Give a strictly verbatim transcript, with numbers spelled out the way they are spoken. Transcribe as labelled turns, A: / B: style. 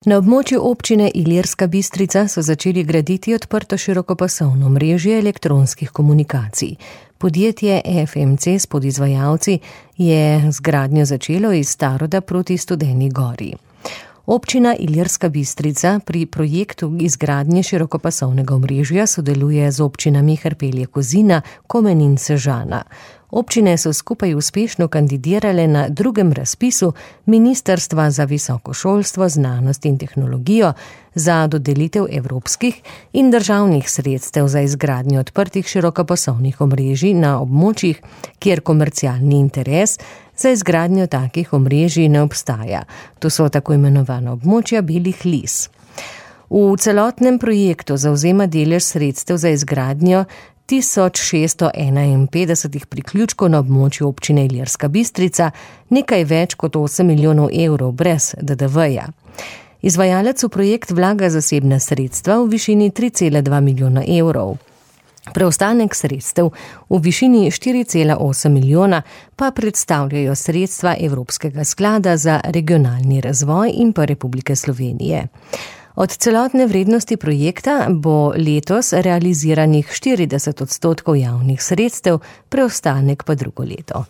A: Na območju občine Ilirska Bistrica so začeli graditi odprto širokopasovno mrežje elektronskih komunikacij. Podjetje F M C s podizvajalci je z gradnjo začelo iz Staroda proti Studeni Gori. Občina Ilirska Bistrica pri projektu izgradnje širokopasovnega omrežja sodeluje z občinami Hrpelje-Kozina, Komen in Sežana. Občine so skupaj uspešno kandidirale na drugem razpisu Ministrstva za visoko šolstvo, znanost in tehnologijo za dodelitev evropskih in državnih sredstev za izgradnjo odprtih širokopasovnih omrežij na območjih, kjer komercialni interes za izgradnjo takih omrežij ne obstaja. To so tako imenovana območja belih lis. V celotnem projektu zavzema delež sredstev za izgradnjo tisoč šeststo enainpetdeset priključkov na območju občine Ilirska Bistrica, nekaj več kot osem milijonov evrov brez D D V-ja. Izvajalec v projekt vlaga zasebna sredstva v višini tri cela dva milijona evrov. Preostanek sredstev v višini štiri cela osem milijona pa predstavljajo sredstva Evropskega sklada za regionalni razvoj in pa Republike Slovenije. Od celotne vrednosti projekta bo letos realiziranih štirideset odstotkov javnih sredstev, preostanek pa drugo leto.